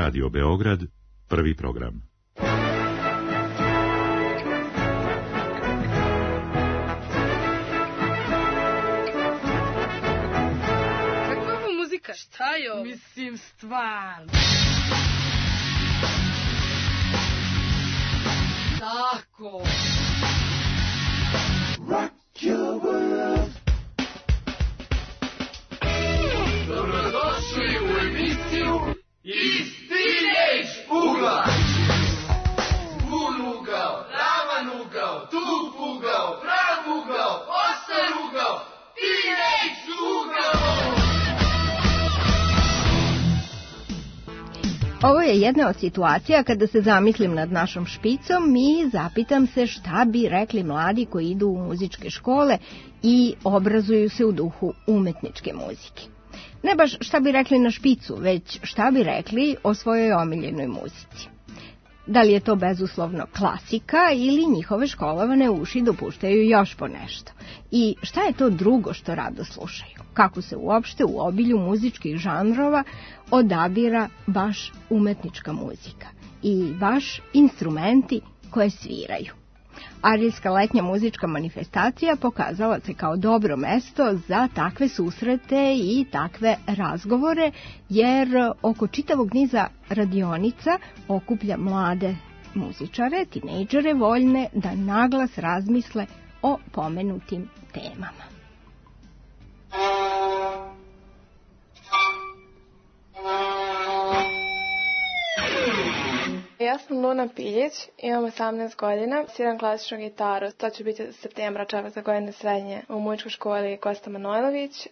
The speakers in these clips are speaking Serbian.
Radio Beograd, prvi program. Kakva ovo muzika? Šta je ovo? Mislim, stvarno. Tako. Rock your world. Dobrodošli u emisiju Iz Teenage ugla. Zvun ugao, ravan ugao, tup ugao, prav ugao, oštar ugao, Teenage ugao. Ovo je jedna od situacija kada se zamislim nad našom špicom i zapitam se šta bi rekli mladi koji idu u muzičke škole i obrazuju se u duhu umetničke muzike. Ne baš šta bi rekli na špicu, već šta bi rekli o svojoj omiljenoj muzici. Da li je to bezuslovno klasika ili njihove školovane uši dopuštaju još po nešto? I šta je to drugo što rado slušaju? Kako se uopšte u obilju muzičkih žanrova odabira baš umetnička muzika i baš instrumenti koje sviraju? Arilska letnja muzička manifestacija pokazala se kao dobro mesto za takve susrete i takve razgovore, jer oko čitavog niza radionica okuplja mlade muzičare, tinejdžere voljne da naglas razmisle o pomenutim temama. Ja sam Luna Piljić, imam 18 godina, sviram klasičnu gitaru. To će biti septembra, četvrta godina srednje u muzičkoj školi Kosta Manojlović.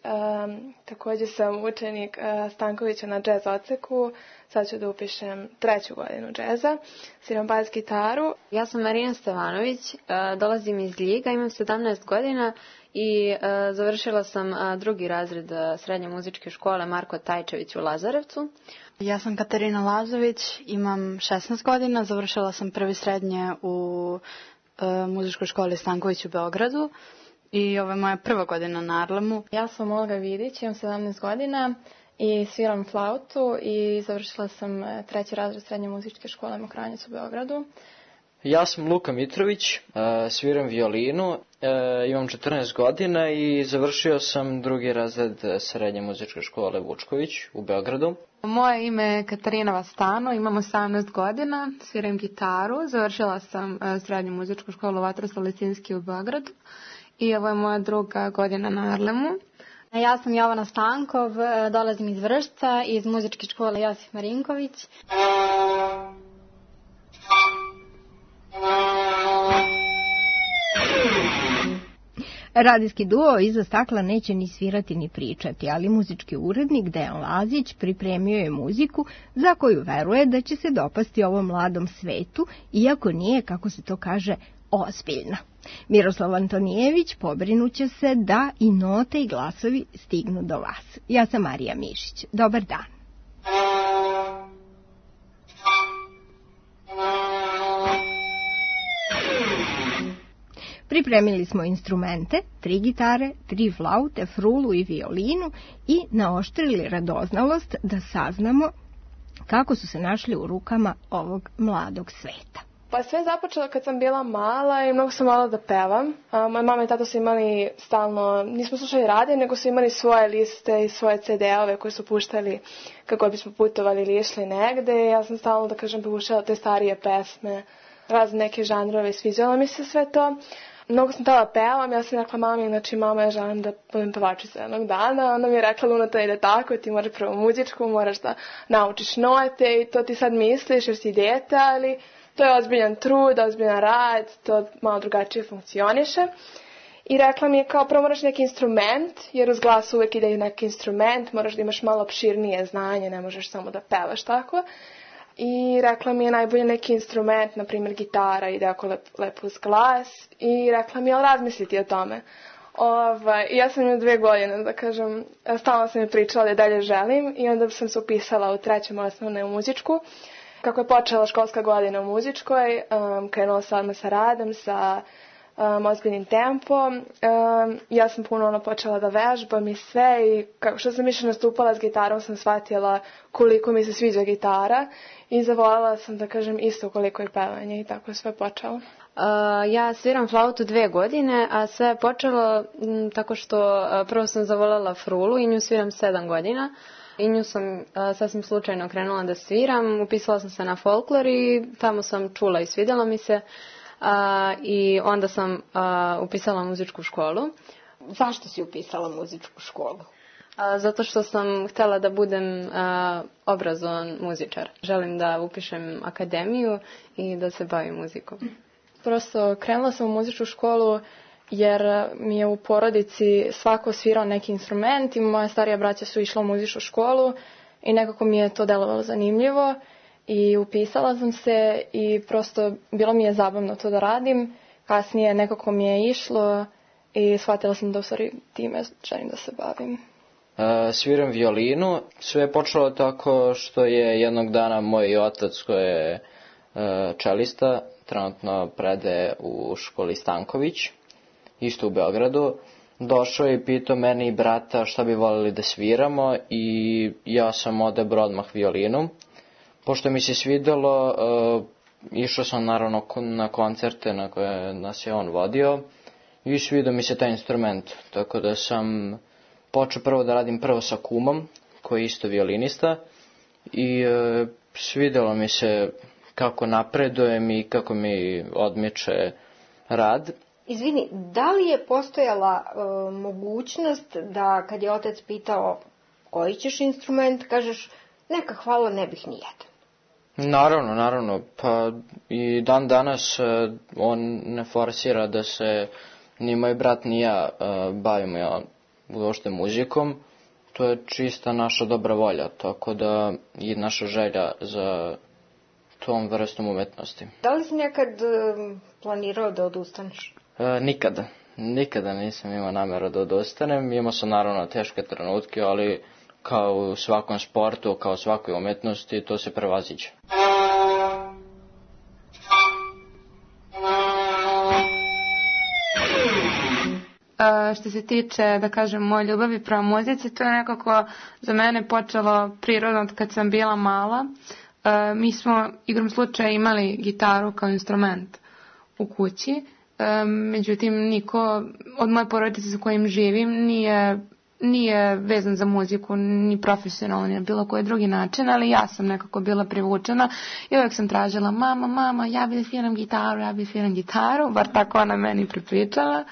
Također sam učenik Stankovića na džez odseku. Sad ću da upišem 3. godinu džeza. Sviram bas gitaru. Ja sam Marina Stevanović, dolazim iz Ljiga, imam 17 godina i završila sam 2. razred srednje muzičke škole Marko Tajčević u Lazarevcu. Ja sam Katarina Lazović, imam 16 godina, završila sam 1. srednje u muzičkoj školi Stanković u Beogradu i ovo je moja 1. godina na Arlemu. Ja sam Olga Vidić, imam 17 godina i sviram flautu i završila sam 3. razred srednje muzičke škole Mokranjac u Beogradu. Ja sam Luka Mitrović, sviram violinu, imam 14 godina i završio sam 2. razred srednje muzičke škole Vučković u Beogradu. Moje ime je Katarina Vastano, imam 18 godina, sviram gitaru, završila sam srednju muzičku školu Vatroslav Lisinski u Beogradu i ovo je moja 2. godina na Arlemu. Ja sam Jovana Stankov, dolazim iz Vršca, iz muzičke škole Josif Marinković. Radijski duo iza stakla neće ni svirati ni pričati, ali muzički urednik Dejan Lazić pripremio je muziku za koju veruje da će se dopasti ovom mladom svetu, iako nije, kako se to kaže, ozbiljna. Miroslav Antonijević pobrinuće se da i note i glasovi stignu do vas. Ja sam Marija Mišić. Dobar dan. Pripremili smo instrumente, 3 gitare, 3 flaute, frulu i violinu i naoštrili radoznalost da saznamo kako su se našli u rukama ovog mladog sveta. Pa sve je započelo kad sam bila mala i mnogo sam volila da pevam. Moja mama i tata su imali stalno, nismo slušali radio, nego su imali svoje liste i svoje CD-ove koje su puštali kako bismo putovali ili išli negde. Ja sam stalno, da kažem, puštala te starije pesme, razne neke žanrove i sviđalo mi se sve to. Mnogo sam htjela pevam, ja sam rekla mami, znači mama, ja želim da budem pevačica jednog dana. Ona mi je rekla, Luna, to ide tako, ti moraš prvo muzičku, moraš da naučiš note i to ti sad misliš jer si dete, ali to je ozbiljan trud, ozbiljan rad, to malo drugačije funkcioniše. I rekla mi je kao prvo moraš neki instrument, jer uz glas uvijek ide neki instrument, moraš da imaš malo opširnije znanje, ne možeš samo da pevaš tako. I rekla mi je najbolje neki instrument, na primjer gitara, ide ako lepo uz glas. I rekla mi je, ali razmisliti o tome. Ja sam imala 2 godine, da kažem, stalno sam mi pričala da je dalje želim i onda sam se upisala u 3. osnovne u muzičku. Kako je počela školska godina u muzičkoj, krenula sam sa radom, sa ozbiljnim tempom. Ja sam puno počela da vežbam i sve i što sam više nastupala s gitarom sam shvatila koliko mi se sviđa gitara i zavoljela sam da kažem isto koliko je pevanje i tako je sve počelo. Ja sviram flautu 2 godine, a sve je počelo tako što prvo sam zavoljela frulu i nju sviram 7 godina. I nju sam sasvim slučajno krenula da sviram, upisala sam se na folklor i tamo sam čula i svidjelo mi se. I onda sam upisala muzičku školu. Zašto si upisala muzičku školu? Zato što sam htjela da budem obrazovan muzičar. Želim da upišem akademiju i da se bavim muzikom. Prosto krenula sam u muzičku školu jer mi je u porodici svako svirao neki instrument i moja starija braća su išla u muzičku školu i nekako mi je to delovalo zanimljivo i upisala sam se i prosto bilo mi je zabavno to da radim. Kasnije nekako mi je išlo i shvatila sam da u stvari time želim da se bavim. Sviram violinu. Sve je počelo tako što je jednog dana moj otac koji je čelista, trenutno predaje u školi Stanković, isto u Beogradu, došao i pitao mene i brata šta bi voljeli da sviramo i ja sam odabrao odmah violinu. Pošto mi se svidjelo, išao sam naravno na koncerte na koje nas je on vodio i svidio mi se taj instrument, tako da sam počeo prvo da radim sa kumom, koji je isto violinista i svidjelo mi se kako napredujem i kako mi odmiče rad. Izvini, da li je postojala mogućnost da kad je otac pitao koji ćeš instrument, kažeš neka hvala, ne bih nijedan? Naravno, pa i dan danas on ne forsira da se ni moj brat ni ja bavimo uopšte muzikom. To je čista naša dobra volja, tako da i naša želja za tom vrstom umetnosti. Da li si nekad planirao da odustaneš? Nikada nisam imao nameru da odustanem. Imao sam naravno teške trenutke, ali kao u svakom sportu, kao u svakoj umetnosti, to se prevaziđe. Što se tiče, da kažem, moje ljubavi prema muzici, to je nekako za mene počelo prirodno od kad sam bila mala. Mi smo igrom slučaja imali gitaru kao instrument u kući, međutim niko od moje porodice sa kojim živim nije vezan za muziku, ni profesionalno, ni na bilo koji drugi način, ali ja sam nekako bila privučena i uvijek sam tražila mama, ja bih sviram gitaru, bar tako ona meni pripričala.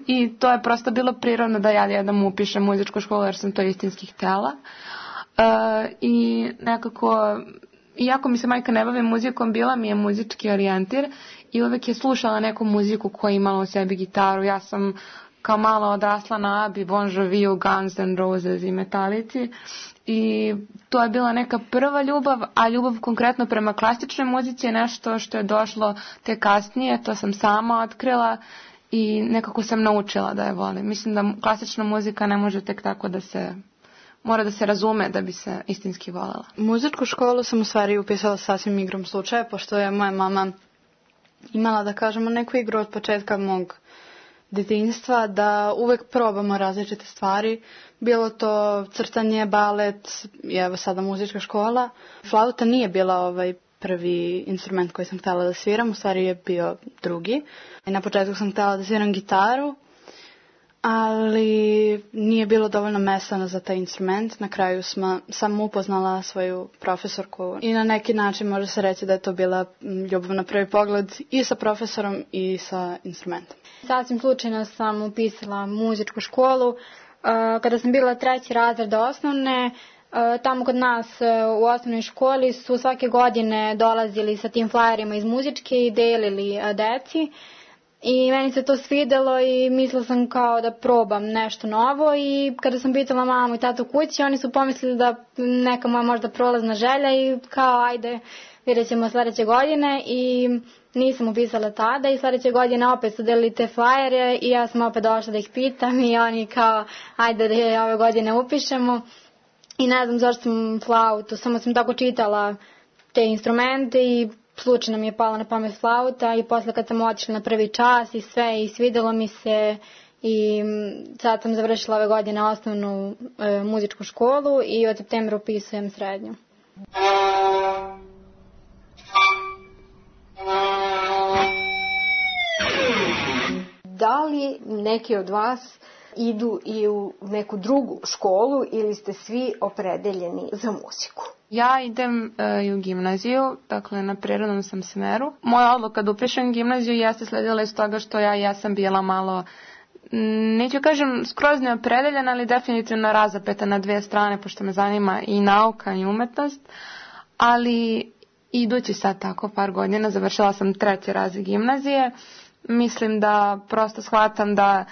I to je prosto bilo prirodno da ja jednom upišem muzičku školu jer sam to istinski htjela. I nekako, iako mi se majka ne bavi muzikom, bila mi je muzički orijentir i uvijek je slušala neku muziku koja je imala u sebi gitaru. Ja sam kao mala odrasla na Abi, Bon Joviju, Guns N' Roses i Metalici i to je bila neka prva ljubav, a ljubav konkretno prema klasičnoj muzici je nešto što je došlo te kasnije, to sam sama otkrila i nekako sam naučila da je volim. Mislim da klasična muzika ne može tek tako mora da se razume da bi se istinski voljela. Muzičku školu sam u stvari upisala sasvim igrom slučaja, pošto je moja mama imala, da kažemo, neku igru od početka mog djetinjstva, da uvek probamo različite stvari, bilo to crtanje, balet i evo sada muzička škola. Flauta nije bila prvi instrument koji sam htjela da sviram, u stvari je bio drugi. I na početku sam htjela da sviram gitaru, ali nije bilo dovoljno mesta za taj instrument. Na kraju sam upoznala svoju profesorku i na neki način može se reći da je to bila ljubav na prvi pogled i sa profesorom i sa instrumentom. Sasvim slučajno sam upisala muzičku školu. Kada sam bila 3. razred osnovne, tamo kod nas u osnovnoj školi su svake godine dolazili sa tim flajerima iz muzičke i delili deci. I meni se to svidelo i mislila sam kao da probam nešto novo i kada sam pitala mamu i tatu kući, oni su pomislili da neka moja možda prolazna želja i kao ajde vidjet ćemo sljedeće godine i nisam upisala tada i sljedeće godine opet su delili te flajere i ja sam opet došla da ih pitam i oni kao ajde da je ove godine upišemo i ne znam zašto sam flautu, samo sam tako čitala te instrumente i slučajno mi je pala na pamet flauta i posle kad sam otišla na prvi čas i sve i svidelo mi se i sad sam završila ove godine osnovnu muzičku školu i od septembra upisujem srednju. Da li neki od vas idu i u neku drugu školu ili ste svi opredeljeni za muziku? Ja idem i u gimnaziju, dakle na prirodnom sam smeru. Moja odluka da upišem gimnaziju jeste sledila iz toga što ja sam bila malo, neću kažem skroz neopredeljena, ali definitivno razapeta na dve strane, pošto me zanima i nauka i umetnost. Ali idući sad tako par godina, završila sam 3. razred gimnazije. Mislim da prosto shvatam da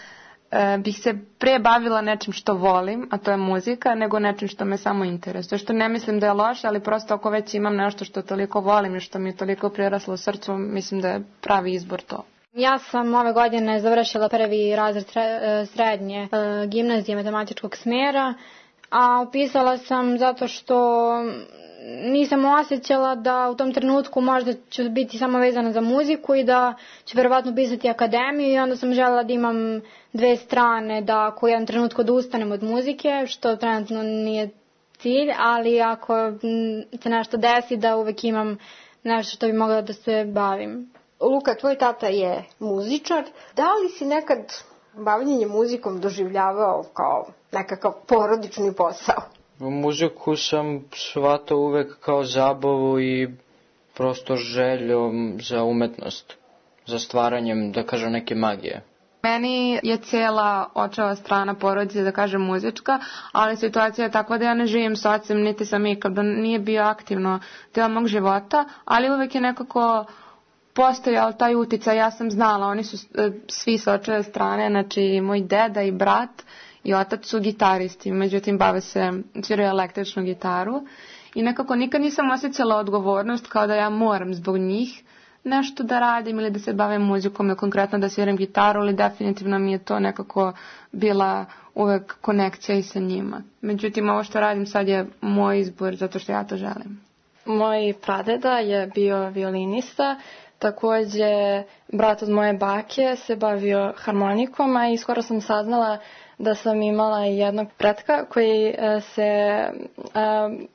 bih se pre bavila nečim što volim, a to je muzika, nego nečim što me samo interesuje. Što ne mislim da je loše, ali prosto ako već imam nešto što toliko volim i što mi je toliko priraslo u srcu, mislim da je pravi izbor to. Ja sam ove godine završila 1. razred srednje gimnazije matematičkog smjera, a upisala sam zato što nisam osjećala da u tom trenutku možda ću biti samo vezana za muziku i da ću verovatno pisati akademiju i onda sam željela da imam dve strane, da ako u jednom trenutku odustanem od muzike, što trenutno nije cilj, ali ako se nešto desi da uvek imam nešto što bi mogla da se bavim. Luka, tvoj tata je muzičar. Da li si nekad bavljenje muzikom doživljavao kao nekakav porodični posao? Muziku sam shvatao uvek kao zabavu i prosto željom za umetnost, za stvaranjem, da kažem, neke magije. Meni je cijela očeva strana porodice, da kažem, muzička, ali situacija je takva da ja ne živim s ocem, niti sam ikada nije bio aktivno deo mog života, ali uvek je nekako postojao taj uticaj. Ja sam znala, oni su svi s očeve strane, znači moj deda i brat i otac su gitaristi, međutim bave se, sviraju električnu gitaru i nekako nikad nisam osjećala odgovornost kao da ja moram zbog njih nešto da radim ili da se bavim muzikom ili konkretno da sviram gitaru, ali definitivno mi je to nekako bila uvek konekcija i sa njima. Međutim, ovo što radim sad je moj izbor zato što ja to želim. Moj pradeda je bio violinista, također brat od moje bake se bavio harmonikom, a i skoro sam saznala da sam imala jednog pretka koji se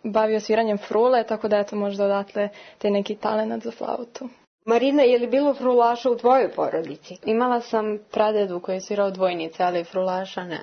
bavio sviranjem frule, tako da eto možda odatle te neki talenat za flautu. Marina, je li bilo frulaša u tvojoj porodici? Imala sam pradedu koji je svirao dvojnice, ali frulaša ne.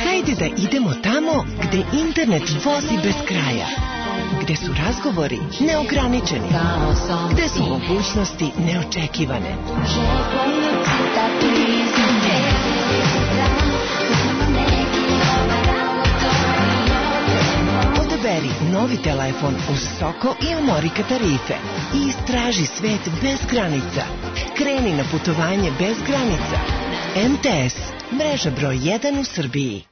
Hajde da idemo tamo gde internet vozi bez kraja, gde su razgovori neograničeni, gde su mogućnosti neočekivane. Odaberi novi telefon uz Soko i Amorika tarife i istraži svet bez granica. Kreni na putovanje bez granica. MTS, mreža broj 1 u Srbiji.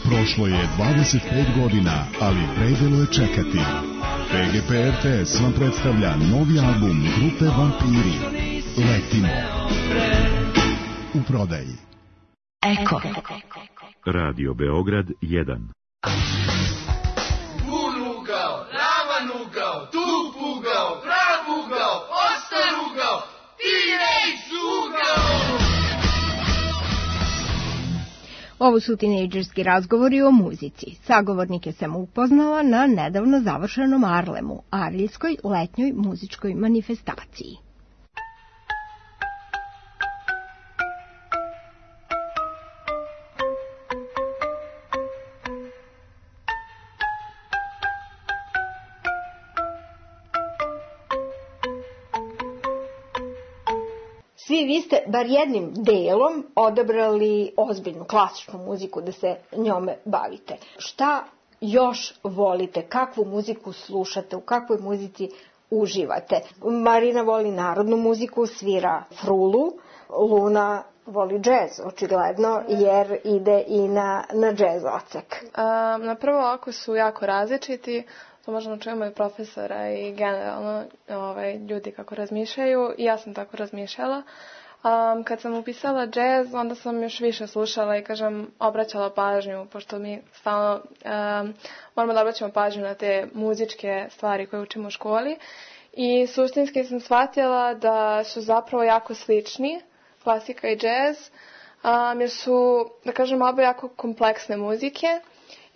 Prošlo je 25 godina, ali predelo je čekati. PGP RTS vam predstavlja novi album grupe Vampiri. Letimo. U prodaji. Eko. Radio Beograd 1. Gulugao, ravanugao, tupugao, pravugao, ostarugao, tinejdžugao. Ovo su tinejdžerski razgovori o muzici. Sagovornike sam upoznala na nedavno završenom Arlemu, Arlijskoj letnjoj muzičkoj manifestaciji. Svi vi ste bar jednim delom odabrali ozbiljnu klasičnu muziku da se njome bavite. Šta još volite? Kakvu muziku slušate? U kakvoj muzici uživate? Marina voli narodnu muziku, svira frulu. Luna voli džez, očigledno, jer ide i na džez odsek. Na prvo oko su jako različiti. To možemo čujemo i profesora i generalno ljudi kako razmišljaju. I ja sam tako razmišljala. Kad sam upisala džez, onda sam još više slušala i, obraćala pažnju, pošto mi stalno moramo da obraćamo pažnju na te muzičke stvari koje učimo u školi. I suštinski sam shvatila da su zapravo jako slični, klasika i džez, jer su, oba jako kompleksne muzike.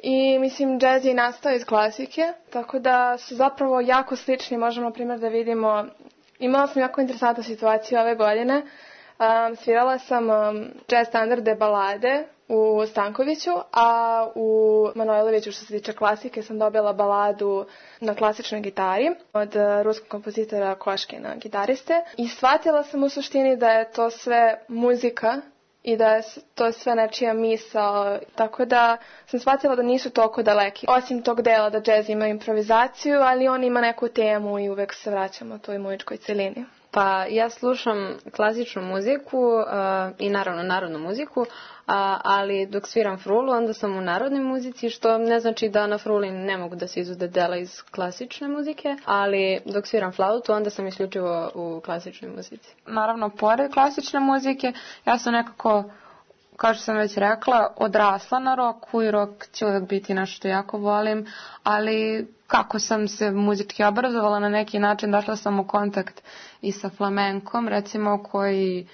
I mislim, džez je nastao iz klasike, tako da su zapravo jako slični. Možemo, na primjer, da vidimo, imala sam jako interesantnu situaciju ove godine. Svirala sam džez standarde balade u Stankoviću, a u Manojloviću, što se tiče klasike, sam dobila baladu na klasičnoj gitari od ruskog kompozitora Koškina, gitariste. I shvatila sam u suštini da je to sve muzika i da je to sve nečija misao, tako da sam shvatila da nisu toliko daleki. Osim tog dela da džez ima improvizaciju, ali on ima neku temu i uvek se vraćamo toj muzičkoj celini. Pa ja slušam klasičnu muziku i naravno narodnu muziku, ali dok sviram frulu onda sam u narodnoj muzici, što ne znači da na fruli ne mogu da se izude dela iz klasične muzike, ali dok sviram flautu onda sam isključivo u klasičnoj muzici. Naravno, pored klasične muzike, ja sam nekako, kao što sam već rekla, odrasla na roku i rok će uvijek biti nešto što jako volim, ali kako sam se muzički obrazovala na neki način, došla sam u kontakt i sa flamenkom, recimo, koji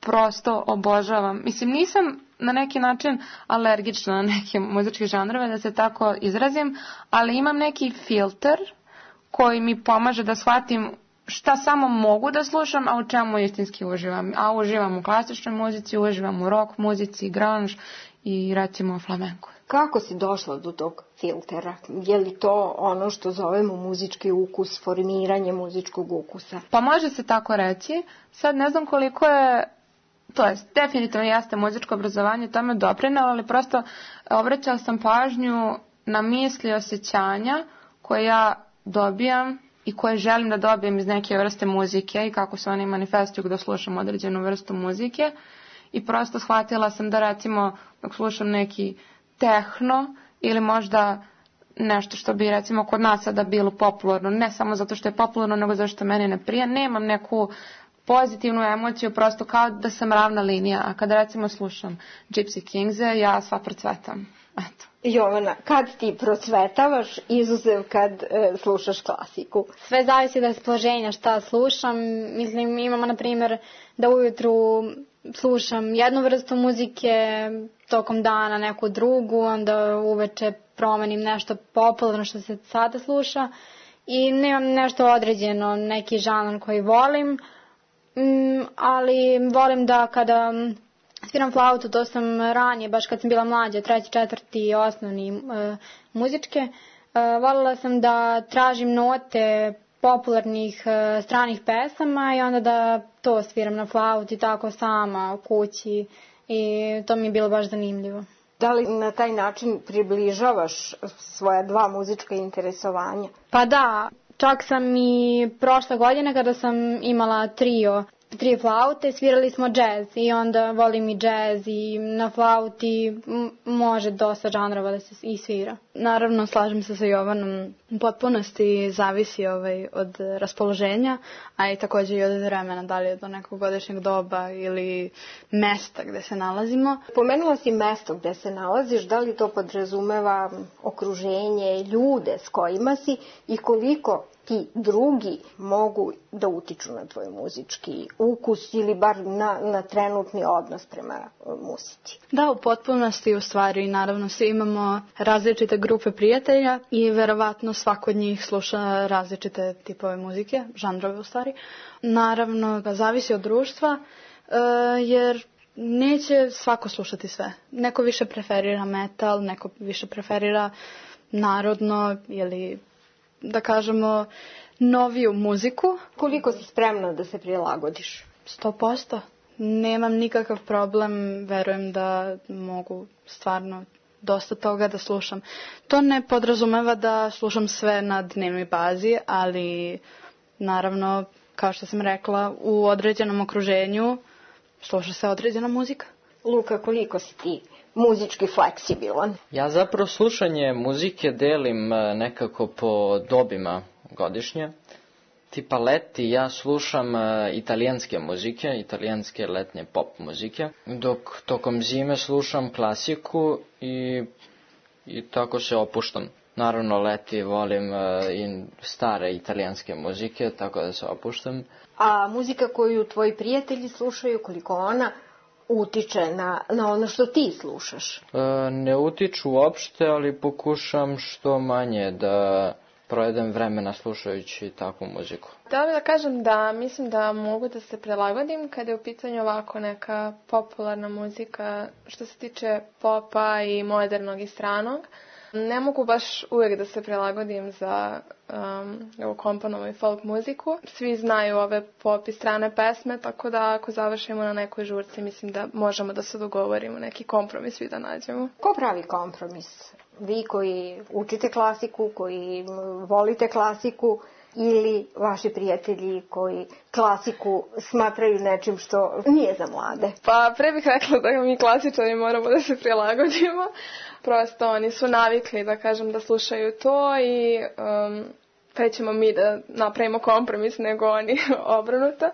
prosto obožavam. Mislim, nisam na neki način alergična na neke muzičke žanrove, da se tako izrazim, ali imam neki filter koji mi pomaže da shvatim šta samo mogu da slušam, a u čemu istinski uživam. A uživam u klasičnoj muzici, uživam u rock muzici, grunge i recimo flamenku. Kako si došla do tog filtera? Je li to ono što zovemo muzički ukus, formiranje muzičkog ukusa? Pa može se tako reći. Sad ne znam koliko je, to jest definitivno jeste muzičko obrazovanje tome doprinelo, ali prosto obraćala sam pažnju na misli, osjećanja koje ja dobijam i koje želim da dobijem iz neke vrste muzike i kako se oni manifestuju kada slušam određenu vrstu muzike. I prosto shvatila sam da, recimo, dok slušam neki tehno ili možda nešto što bi, recimo, kod nas sada bilo popularno, ne samo zato što je popularno, nego zato što meni ne prija, nemam neku pozitivnu emociju, prosto kao da sam ravna linija. A kada, recimo, slušam Gypsy Kingse, ja sva procvetam. Eto. Jovana, kad ti procvetavaš, izuzev kad slušaš klasiku? Sve zavisi od raspoloženja šta slušam. Mislim, imamo, na primjer, da ujutru slušam jednu vrstu muzike, tokom dana neku drugu, onda uveče promenim nešto popularno što se sada sluša i nemam nešto određeno, neki žanr koji volim, ali volim da kada sviram flautu, to sam ranije, baš kad sam bila mlađa, 3., 4. osnovni muzičke, voljela sam da tražim note popularnih stranih pesama i onda da to sviram na flauti tako sama u kući i to mi je bilo baš zanimljivo. Da li na taj način približavaš svoja dva muzička interesovanja? Pa da, čak sam i prošle godine kada sam imala trio flaute, svirali smo džez i onda volim i džez i na flauti može dosta žanrova da se i svira. Naravno, slažem se sa Jovanom, u potpunosti zavisi od raspoloženja, a i također i od vremena, da li je do nekog godišnjeg doba ili mesta gde se nalazimo. Pomenula si mesto gde se nalaziš, da li to podrazumeva okruženje, ljude s kojima si i koliko ti drugi mogu da utiču na tvoj muzički ukus ili bar na trenutni odnos prema muzici? Da, u potpunosti u stvari. Naravno, svi imamo različite grupe prijatelja i verovatno svako od njih sluša različite tipove muzike, žanrove u stvari. Naravno, da zavisi od društva, jer neće svako slušati sve. Neko više preferira metal, neko više preferira narodno ili da kažemo noviju muziku. Koliko si spremna da se prilagodiš? 100%. Nemam nikakav problem, verujem da mogu stvarno dosta toga da slušam. To ne podrazumeva da slušam sve na dnevnoj bazi, ali naravno, kao što sam rekla, u određenom okruženju sluša se određena muzika. Luka, koliko si ti muzički fleksibilan? Ja zapravo slušanje muzike delim nekako po dobima godišnje. Tipa leti ja slušam italijanske muzike, italijanske letnje pop muzike, dok tokom zime slušam klasiku i tako se opuštam. Naravno leti volim i stare italijanske muzike, tako da se opuštam. A muzika koju tvoji prijatelji slušaju, koliko ona utiče na ono što ti slušaš? Ne utiču uopšte, ali pokušam što manje da provedem vremena slušajući takvu muziku. Da li da kažem da mislim da mogu da se prilagodim kada je u pitanju ovako neka popularna muzika što se tiče popa i modernog i stranog. Ne mogu baš uvijek da se prilagodim za komponovu i folk muziku. Svi znaju ove pop i strane pesme, tako da ako završimo na nekoj žurci, mislim da možemo da se dogovorimo, neki kompromis svi da nađemo. Ko pravi kompromis? Vi koji učite klasiku, koji volite klasiku ili vaši prijatelji koji klasiku smatraju nečim što nije za mlade? Pa pre bih rekla da mi klasičari moramo da se prilagodimo. Prosto oni su navikli da kažem da slušaju to i pre ćemo mi da napravimo kompromis nego oni obrnuto.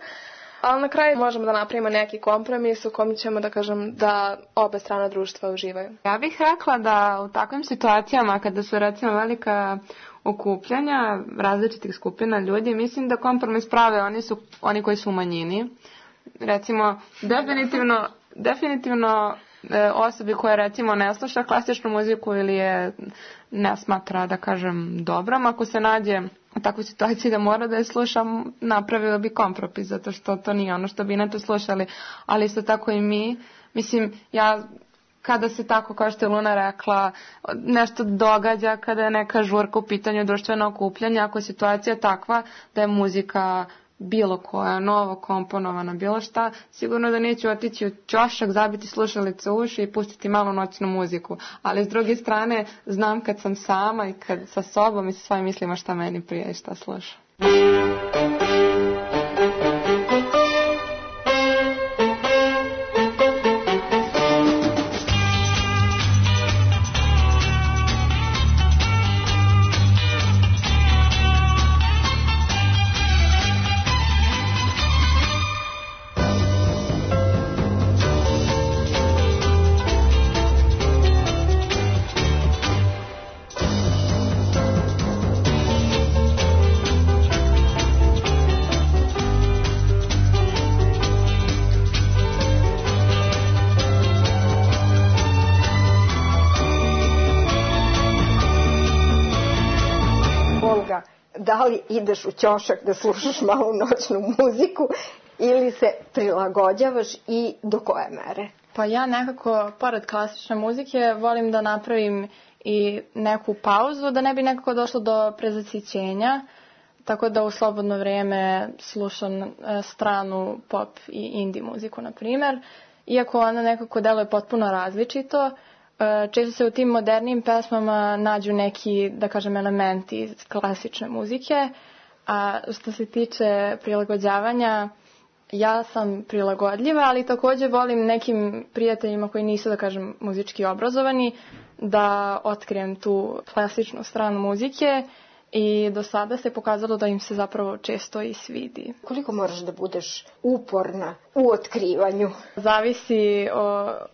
Ali na kraju možemo da napravimo neki kompromis u kom ćemo da kažem da obe strane društva uživaju. Ja bih rekla da u takvim situacijama kada su recimo velika okupljanja različitih skupina ljudi, mislim da kompromis prave oni koji su u manjini. Recimo, definitivno osobi koja recimo ne sluša klasičnu muziku ili je ne smatra da kažem dobrom, ako se nađe u takvoj situaciji da mora da je slušam, napravio bi kompromis, zato što to nije ono što bi ne to slušali, ali isto tako i mi. Mislim, ja kada se tako, kao što je Luna rekla, nešto događa, kada je neka žurka u pitanju društveno okupljanje, ako je situacija takva da je muzika bilo koja, novo komponovana, bilo šta, sigurno da neću otići u ćošak, zabiti slušalice u uši i pustiti malo noćnu muziku. Ali s druge strane, znam kad sam sama i kad sa sobom i sa svojim mislima šta meni prija i šta slušam. Da li ideš u ćošak da slušaš malo noćnu muziku ili se prilagođavaš i do koje mere? Pa ja nekako, pored klasične muzike, volim da napravim i neku pauzu, da ne bi nekako došlo do prezasićenja. tako da u slobodno vrijeme slušam stranu pop i indie muziku, na primjer. Iako ona nekako deluje potpuno različito, često se u tim modernim pesmama nađu neki, da kažem, elementi iz klasične muzike, a što se tiče prilagođavanja, ja sam prilagodljiva, ali također volim nekim prijateljima koji nisu, da kažem, muzički obrazovani, da otkrijem tu klasičnu stranu muzike i do sada se pokazalo da im se zapravo često i svidi. Koliko moraš da budeš uporna u otkrivanju? Zavisi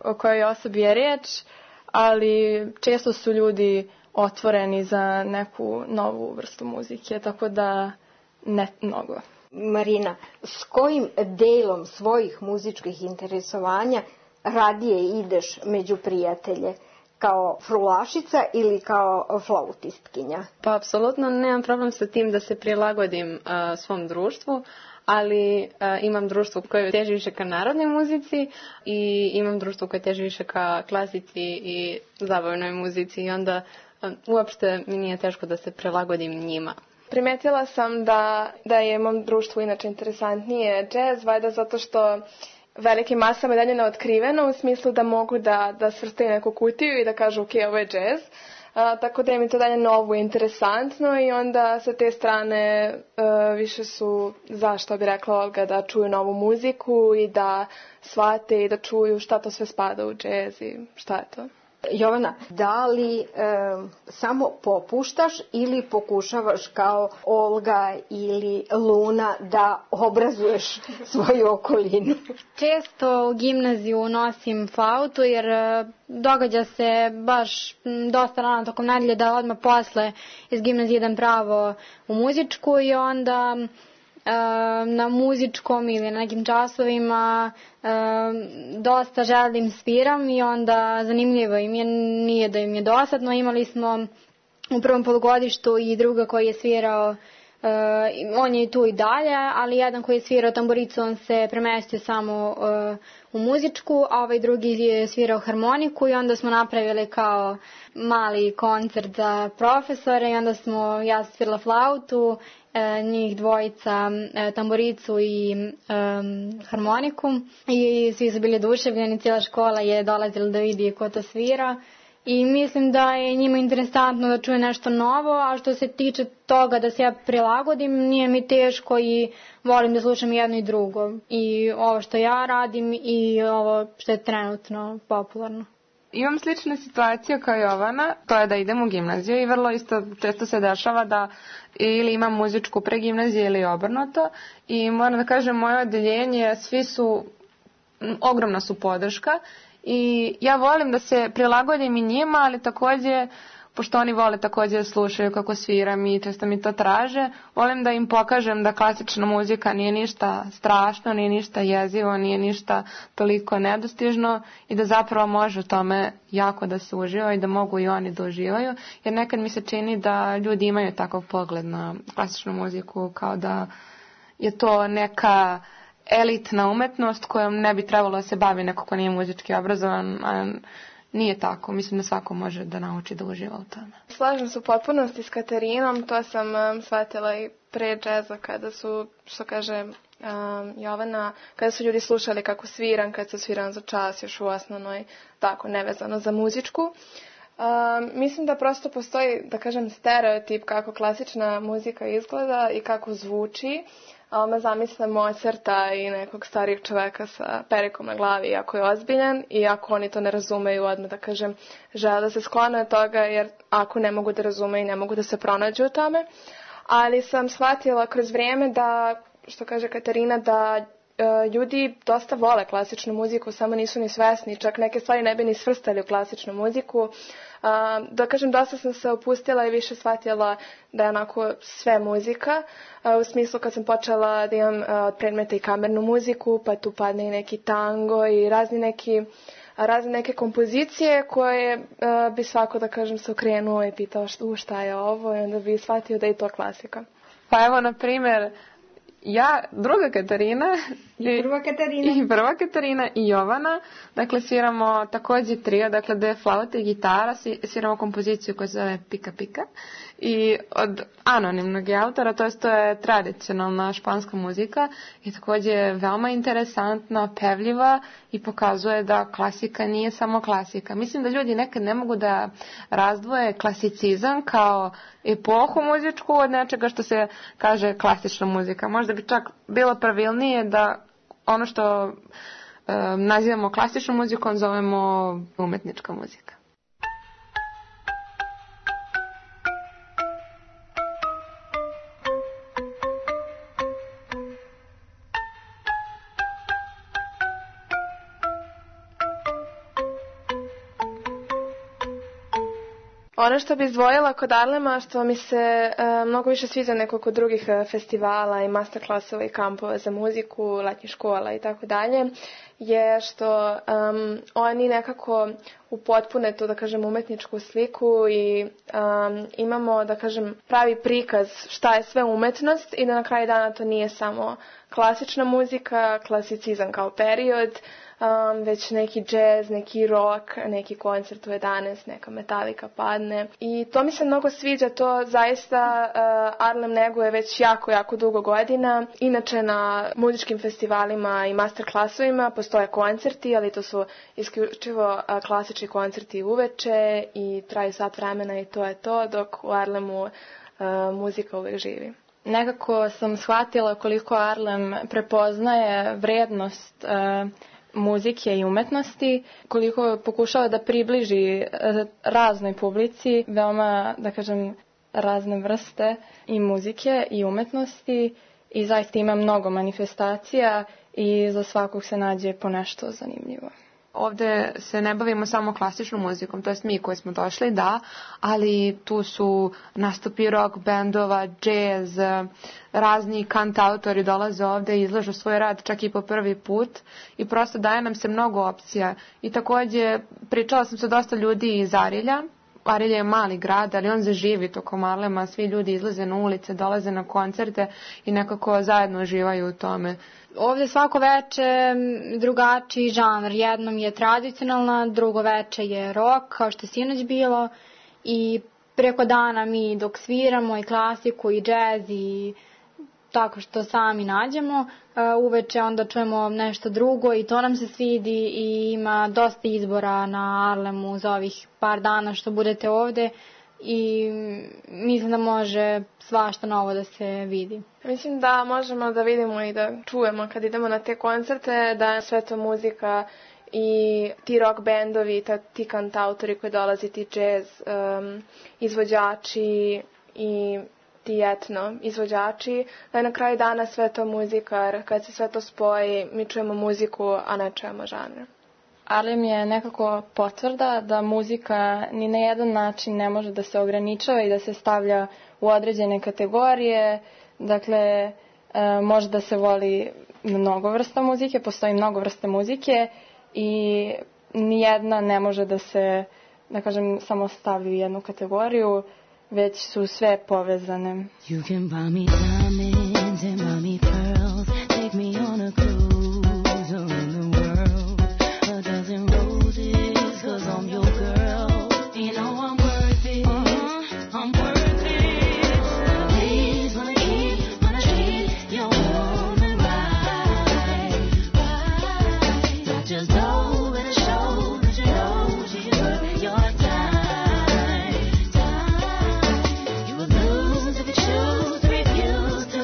o kojoj osobi je riječ, ali često su ljudi otvoreni za neku novu vrstu muzike, tako da ne mnogo. Marina, s kojim delom svojih muzičkih interesovanja radije ideš među prijatelje? Kao frulašica ili kao flautistkinja? Pa apsolutno nemam problem sa tim da se prilagodim svom društvu, ali imam društvo koje teži više ka narodnoj muzici i imam društvo koje teži više ka klasici i zabavnoj muzici i onda uopšte mi nije teško da se prilagodim njima. Primetila sam da je mom društvu inače interesantnije džez, valjda zato što velikim masama je dalje neotkriveno u smislu da mogu da svrstaju neku kutiju i da kažu ok, ovo je džez. Tako da im je to dalje novo i interesantno i onda sa te strane više su, zašto bi rekla Olga, da čuju novu muziku i da shvate i da čuju šta to sve spada u džez i šta je to. Jovana, da li samo popuštaš ili pokušavaš kao Olga ili Luna da obrazuješ svoju okolinu? Često u gimnaziju nosim flautu jer događa se baš dosta rano tokom nedelje da odmah posle iz gimnazije idem pravo u muzičku i onda na muzičkom ili na nekim časovima dosta želim sviram i onda zanimljivo im je, nije da im je dosadno. Imali smo u prvom polugodištu i druga koji je svirao, on je tu i dalje, ali jedan koji je svirao tamburicu, on se premestio samo u muzičku, a ovaj drugi je svirao harmoniku i onda smo napravili kao mali koncert za profesore i onda ja svirala flautu, njih dvojica tamburicu i harmoniku i svi su bili oduševljeni, cijela škola je dolazila da vidi ko to svira i mislim da je njima interesantno da čuje nešto novo, a što se tiče toga da se ja prilagodim, nije mi teško i volim da slušam jedno i drugo i ovo što ja radim i ovo što je trenutno popularno. Imam sličnu situaciju kao Jovana, to je da idem u gimnaziju i vrlo isto često se dešava da ili imam muzičku pre gimnazije ili obrnuto i moram da kažem moje odeljenje, svi su, ogromna su podrška i ja volim da se prilagodim i njima, ali također, pošto oni vole također da slušaju kako sviram i često mi to traže, volim da im pokažem da klasična muzika nije ništa strašno, nije ništa jezivo, nije ništa toliko nedostižno i da zapravo može u tome jako da se uživa i da mogu i oni da uživaju, jer nekad mi se čini da ljudi imaju takav pogled na klasičnu muziku kao da je to neka elitna umetnost kojom ne bi trebalo da se bavi neko ko nije muzički obrazovan, a nije tako. Mislim da svako može da nauči da uživa u tome. Slažem se u potpunosti s Katarinom. To sam shvatila i pre džeza kada su, što kaže Jovana, kada su ljudi slušali kako sviram, kad se sviram za čas još u osnovnoj, tako nevezano za muzičku. Mislim da prosto postoji, da kažem, stereotip kako klasična muzika izgleda i kako zvuči. Me zamisle Mozarta i nekog starijeg čoveka sa perikom na glavi, iako je ozbiljan i ako oni to ne razumeju, odmah da kažem, žele da se sklone od toga, jer ako ne mogu da razumeju, ne mogu da se pronađu u tome. Ali sam shvatila kroz vrijeme da, što kaže Katarina, da ljudi dosta vole klasičnu muziku, samo nisu ni svesni, čak neke stvari ne bi ni svrstali u klasičnu muziku. Da kažem, dosta sam se opustila i više shvatila da je onako sve muzika, u smislu kad sam počela da imam predmete i kamernu muziku, pa tu padne i neki tango i razne neke kompozicije koje bi svako, da kažem, se okrenuo i pitao šta je ovo i onda bi shvatio da je to klasika. Pa evo, na primjer, ja, druga Katarina i prva Katarina i Jovana, dakle sviramo također trio, dakle 2 flaute i gitara, sviramo kompoziciju koja se zove Pika Pika i od anonimnog autora, to je tradicionalna španska muzika i također veoma interesantna, pevljiva i pokazuje da klasika nije samo klasika. Mislim da ljudi nekad ne mogu da razdvoje klasicizam kao epohu muzičku od nečega što se kaže klasična muzika. Možda bi čak bilo pravilnije da ono što nazivamo klasičnom muzikom zovemo umetnička muzika. Ono što bi izdvojila kod Arlema, što mi se mnogo više sviđa nego kod drugih festivala i masterclassova i kampova za muziku, letnjih škola i tako dalje, je što oni nekako upotpune tu, da kažem, umetničku sliku i imamo, da kažem, pravi prikaz šta je sve umetnost i da na kraju dana to nije samo klasična muzika, klasicizam kao period, već neki džez, neki rock, neki koncert u 11, neka Metallica padne. I to mi se mnogo sviđa, to zaista Arlem neguje već jako dugo godina. Inače na muzičkim festivalima i masterclassovima postoje koncerti, ali to su isključivo klasični koncerti uveče i traju sat vremena i to je to, dok u Arlemu muzika uvek živi. Nekako sam shvatila koliko Arlem prepoznaje vrednost muzike i umetnosti, koliko pokušava da približi raznoj publici veoma, da kažem, razne vrste i muzike i umetnosti i zaista ima mnogo manifestacija i za svakog se nađe po nešto zanimljivo. Ovde se ne bavimo samo klasičnom muzikom, to jest mi koji smo došli, da, ali tu su nastupi rock bendova, jazz, razni kantautori dolaze ovde i izlažu svoj rad čak i po prvi put i prosto daje nam se mnogo opcija. I također pričala sam sa dosta ljudi iz Arilja. Arilje je mali grad, ali on zaživi tokom Arlema, svi ljudi izlaze na ulice, dolaze na koncerte i nekako zajedno uživaju u tome. Ovdje svako veče drugačiji žanr, jednom je tradicionalna, drugo veče je rock, kao što je sinoć bilo i preko dana mi dok sviramo i klasiku i džez i tako što sami nađemo, uveče onda čujemo nešto drugo i to nam se svidi i ima dosta izbora na Arlemu za ovih par dana što budete ovde i mislim da može svašta novo da se vidi. Mislim da možemo da vidimo i da čujemo kad idemo na te koncerte da je sve to muzika i ti rock bendovi, ti kantautori koji dolazi, ti jazz izvođači i ti etno izvođači, da je na kraju dana sve to muzika, kad se sve to spoji, mi čujemo muziku, a ne čujemo žanr. Arlem je nekako potvrda da muzika ni na jedan način ne može da se ograničava i da se stavlja u određene kategorije. Dakle, može da se voli mnogo vrsta muzike, postoji mnogo vrste muzike i nijedna ne može da se, da kažem, samo stavlja u jednu kategoriju, već su sve povezane. You can buy me diamonds and buy me pearls, take me on a cruise around the world, a dozen roses, 'cause I'm your girl, you know I'm worth it, I'm worth it, please wanna treat your woman right, not just know in a show, but you know she's worth your time. You would lose if you choose to refuse to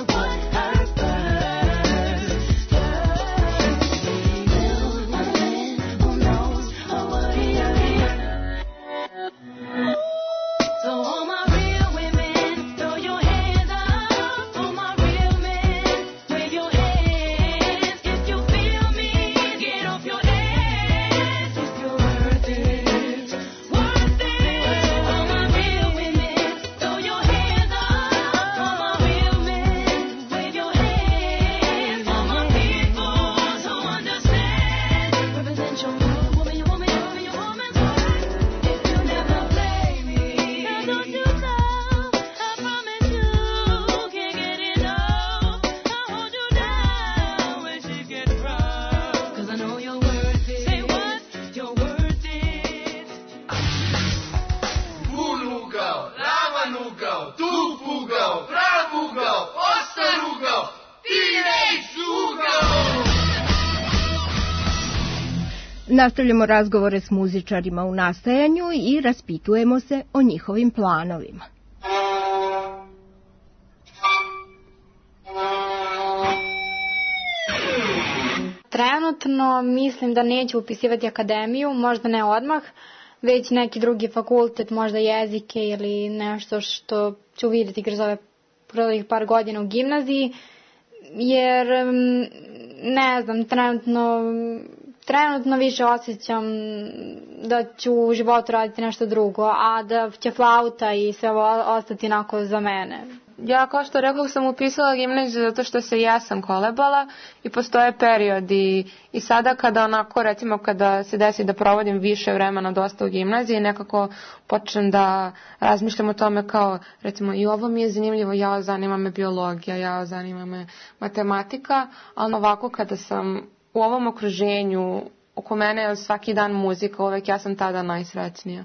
Nastavljamo razgovore s muzičarima u nastajanju i raspitujemo se o njihovim planovima. Trenutno mislim da neću upisivati akademiju, možda ne odmah, već neki drugi fakultet, možda jezike ili nešto što ću vidjeti kroz ovih par godina u gimnaziji, jer ne znam, trenutno više osjećam da ću u životu raditi nešto drugo, a da će flauta i sve ovo ostati onako za mene. Ja, kao što rekao, sam upisala gimnaziju zato što se jesam kolebala i postoje periodi i sada kada onako, recimo, kada se desi da provodim više vremena dosta u gimnaziji, nekako počnem da razmišljam o tome kao, recimo, i ovo mi je zanimljivo, ja zanima me biologija, ja zanima me matematika, ali ovako kada sam u ovom okruženju, oko mene je svaki dan muzika, uvek ja sam tada najsrećnija.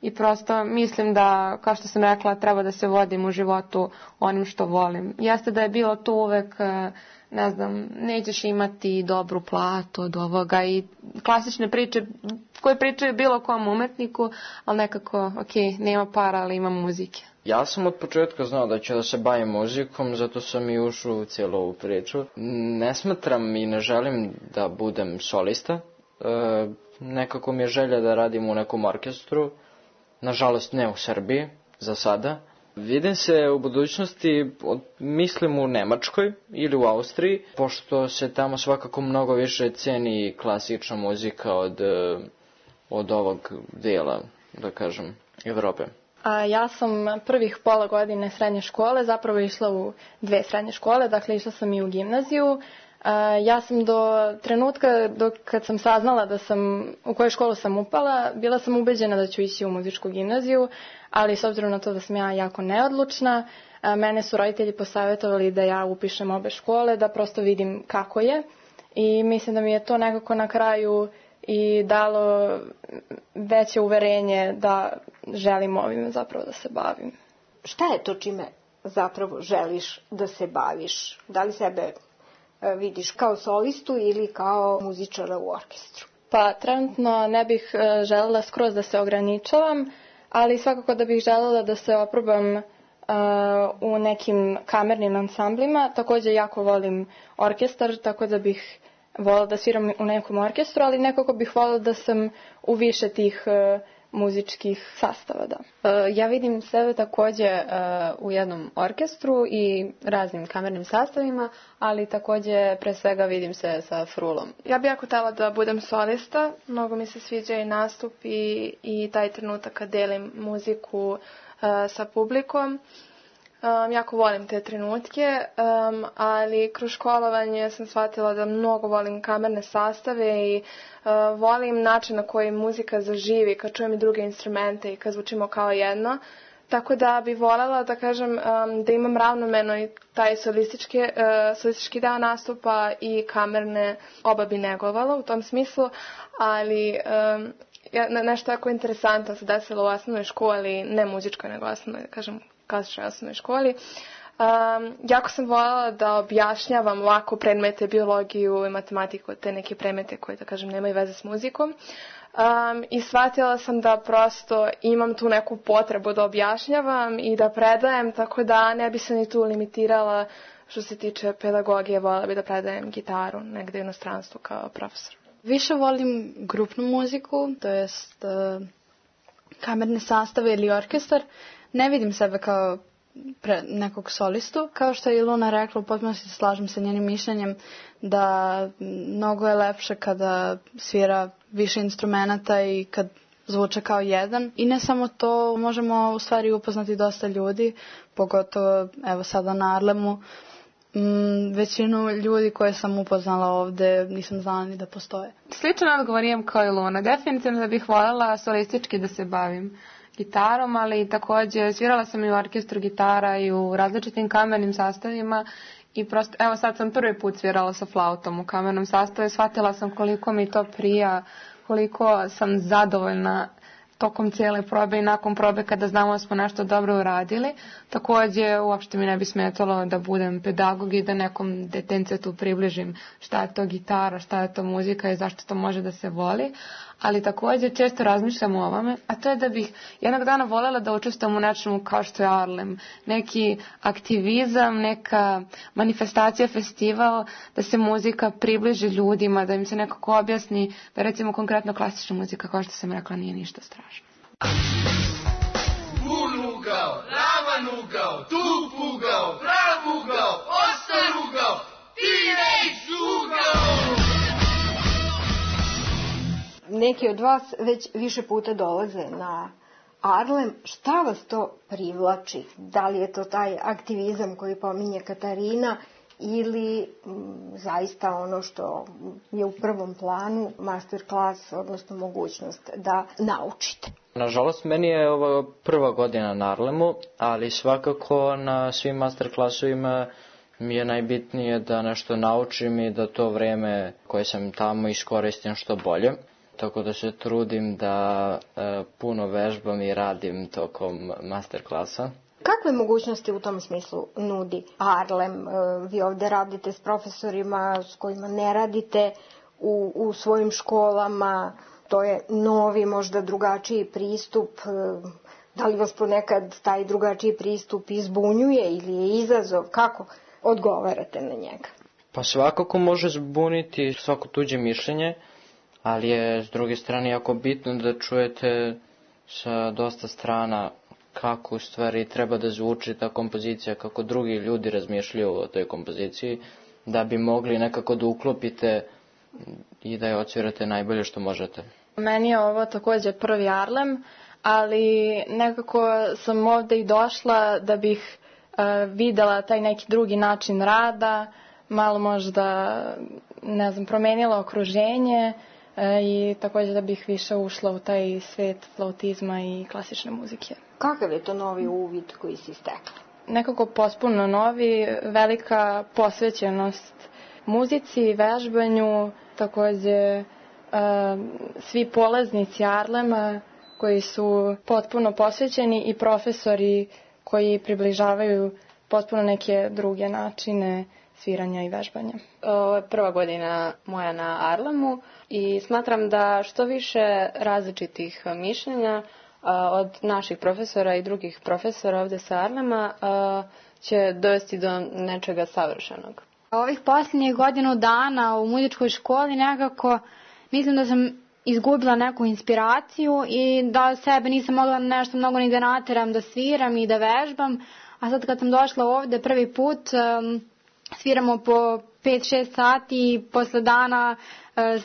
I prosto mislim da, kao što sam rekla, treba da se vodim u životu onim što volim. Jeste da je bilo tu uvek, ne znam, nećeš imati dobru platu od ovoga i klasične priče koje pričaju bilo kom umetniku, ali nekako, nema para, ali ima muzike. Ja sam od početka znao da ću da se bavim muzikom, zato sam i ušao u cijelu ovu priču. Ne smatram i ne želim da budem solista. Nekako mi je želja da radim u nekom orkestru. Nažalost ne u Srbiji, za sada. Vidim se u budućnosti, mislim u Nemačkoj ili u Austriji, pošto se tamo svakako mnogo više ceni klasična muzika od ovog dijela, da kažem, Evrope. Ja sam prvih pola godine srednje škole zapravo išla u 2 srednje škole, dakle išla sam i u gimnaziju. Ja sam do trenutka kad sam saznala u koju školu sam upala, bila sam ubeđena da ću ići u muzičku gimnaziju, ali s obzirom na to da sam ja jako neodlučna, mene su roditelji posavjetovali da ja upišem obe škole, da prosto vidim kako je, i mislim da mi je to nekako na kraju i dalo veće uverenje da želim ovime zapravo da se bavim. Šta je to čime zapravo želiš da se baviš? Da li sebe vidiš kao solistu ili kao muzičara u orkestru? Pa trenutno ne bih želela skroz da se ograničavam, ali svakako da bih želela da se oprobam u nekim kamernim ansamblima. Također jako volim orkestar, tako da bih voljela da sviram u nekom orkestru, ali nekako bih voljela da sam u više tih muzičkih sastava, da. Ja vidim sebe također u jednom orkestru i raznim kamernim sastavima, ali također pre svega vidim se sa frulom. Ja bih jako htjela da budem solista, mnogo mi se sviđa i nastup i taj trenutak kad delim muziku sa publikom. Jako volim te trenutke, ali kroz školovanje sam shvatila da mnogo volim kamerne sastave i volim način na koji muzika zaživi kad čujem i druge instrumente i kad zvučimo kao jedno. Tako da bi voljela da kažem da imam ravnomjerno i taj solistički deo nastupa i kamerne, oba bi negovala u tom smislu, ali nešto jako interesantno se desilo u osnovnoj školi, ne muzičkoj nego osnovnoj, da kažem, klasičnoj osnovnoj školi. Jako sam voljela da objašnjavam lako predmete, biologiju i matematiku, te neke predmete koje, da kažem, nemaju veze s muzikom. I shvatila sam da prosto imam tu neku potrebu da objašnjavam i da predajem, tako da ne bi se ni tu limitirala što se tiče pedagogije, voljela bi da predajem gitaru negde u inostranstvu kao profesor. Više volim grupnu muziku, to jest kamerne sastave ili orkestar. Ne vidim sebe kao nekog solistu. Kao što je i Luna rekla, potpuno se slažem sa njenim mišljenjem da mnogo je lepše kada svira više instrumenata i kad zvuče kao jedan. I ne samo to, možemo u stvari upoznati dosta ljudi, pogotovo evo sada na Arlemu. Većinu ljudi koje sam upoznala ovde nisam znala ni da postoje. Sličan odgovor imam kao i Luna. Definitivno da bih voljela solistički da se bavim gitarom, ali također svirala sam i u orkestru gitara i u različitim kamernim sastavima i prosto, evo sad sam prvi put svirala sa flautom u kamernom sastavu i shvatila sam koliko mi to prija, koliko sam zadovoljna tokom cijele probe i nakon probe kada znamo da smo nešto dobro uradili. Također, uopšte mi ne bi smetalo da budem pedagog i da nekom detencetu približim šta je to gitara, šta je to muzika i zašto to može da se voli. Ali također često razmišljam o ovome, a to je da bih jednog dana voljela da učestvujem u nečemu kao što je Arlem. Neki aktivizam, neka manifestacija, festival, da se muzika približi ljudima, da im se nekako objasni da recimo konkretno klasična muzika, kao što sam rekla, nije ništa strašno. Bun ugao, ravan ugao, tup ugao, prav ugao, ostar ugao, teenage ugao! Neki od vas već više puta dolaze na Arlem. Šta vas to privlači? Da li je to taj aktivizam koji pominje Katarina ili zaista ono što je u prvom planu, master klas, odnosno mogućnost da naučite? Nažalost, meni je ovo prva godina na Arlemu, ali svakako na svim master klasovima mi je najbitnije da nešto naučim i da to vreme koje sam tamo iskoristim što bolje. Tako da se trudim da puno vežbam i radim tokom master klasa. Kakve mogućnosti u tom smislu nudi Arlem? Vi ovdje radite s profesorima s kojima ne radite u svojim školama. To je novi, možda drugačiji pristup. Da li vas ponekad taj drugačiji pristup izbunjuje ili je izazov? Kako odgovarate na njega? Pa svakako može zbuniti svako tuđe mišljenje, ali je s druge strane jako bitno da čujete sa dosta strana kako u stvari treba da zvuči ta kompozicija, kako drugi ljudi razmišljaju o toj kompoziciji, da bi mogli nekako da uklopite i da je odsvirate najbolje što možete. Meni je ovo također prvi Arlem, ali nekako sam ovdje i došla da bih videla taj neki drugi način rada, malo možda, ne znam, promenila okruženje i također da bih više ušla u taj svet flautizma i klasične muzike. Kakav je to novi uvid koji si stekla? Nekako potpuno novi, velika posvećenost muzici, vežbanju, također svi polaznici Arlema koji su potpuno posvećeni i profesori koji približavaju potpuno neke druge načine sviranja i vežbanja. Ovo je prva godina moja na Arlemu i smatram da što više različitih mišljenja od naših profesora i drugih profesora ovdje sa Arlema će dovesti do nečega savršenog. Ovih posljednjih godinu dana u muzičkoj školi nekako mislim da sam izgubila neku inspiraciju i da sebe nisam mogla nešto mnogo ni da nateram da sviram i da vežbam. A sad kad sam došla ovdje prvi put, sviramo po 5-6 sati i posle dana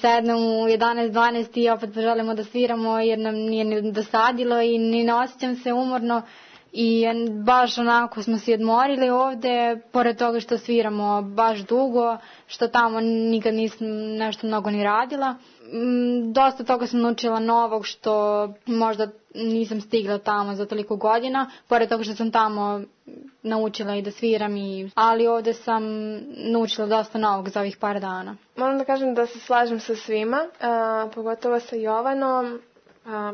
sednem u 11-12 i opet želimo da sviramo jer nam nije ni dosadilo i ni ne osjećam se umorno. I baš onako smo se odmorili ovdje, pored toga što sviramo baš dugo, što tamo nikad nisam nešto mnogo ni radila. Dosta toga sam naučila novog što možda nisam stigla tamo za toliko godina, pored toga što sam tamo naučila i da sviram, ali ovdje sam naučila dosta novog za ovih par dana. Moram da kažem da se slažem sa svima, pogotovo sa Jovanom.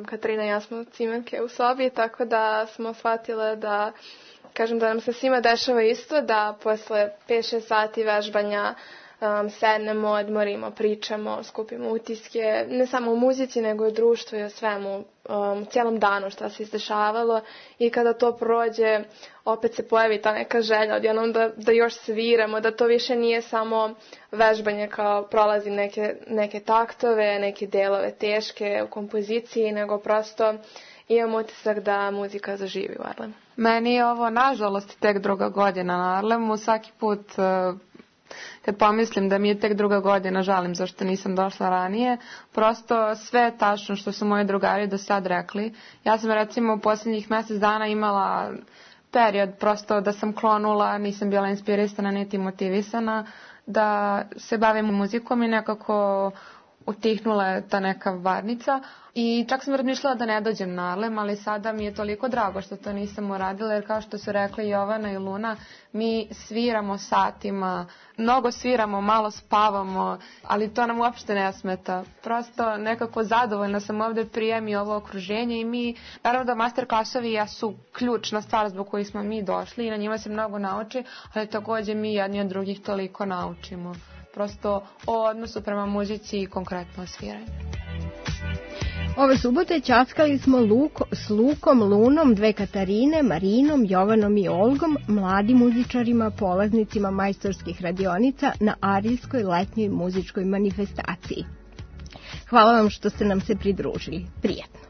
Katarina i ja smo cimenke u sobi, tako da smo shvatile da, kažem, da nam se svima dešava isto, da posle 5-6 sati vežbanja sednemo, odmorimo, pričamo, skupimo utiske, ne samo o muzici, nego i o društvu i o svemu, u cijelom danu šta se izdešavalo i kada to prođe, opet se pojavi ta neka želja odjednom da još sviramo, da to više nije samo vežbanje kao prolazim neke taktove, neke delove teške u kompoziciji, nego prosto imam utisak da muzika zaživi u Arlemu. Meni je ovo, nažalost, tek druga godina na Arlemu. Svaki put kad pomislim da mi je tek druga godina, žalim zašto nisam došla ranije. Prosto sve je tačno što su moji drugari do sad rekli. Ja sam recimo u posljednjih mjesec dana imala period prosto da sam klonula, nisam bila inspirisana niti motivisana da se bavim muzikom i nekako utihnula je ta neka varnica i čak sam razmišljala da ne dođem na Arlem, ali sada mi je toliko drago što to nisam uradila, jer kao što su rekli Jovana i Luna, mi sviramo satima, mnogo sviramo, malo spavamo, ali to nam uopšte ne smeta. Prosto nekako zadovoljna sam ovde prijem i ovo okruženje i mi, naravno da master klasovi jesu ključna stvar zbog kojih smo mi došli i na njima se mnogo nauči, ali takođe mi jedni od drugih toliko naučimo. Prosto o odnosu prema muzici i konkretno sviranju. Ove subote ćaskali smo s Lukom, Lunom, dve Katarine, Marinom, Jovanom i Olgom, mladim muzičarima, polaznicima majstorskih radionica na Arilskoj letnjoj muzičkoj manifestaciji. Hvala vam što ste nam se pridružili. Prijetno.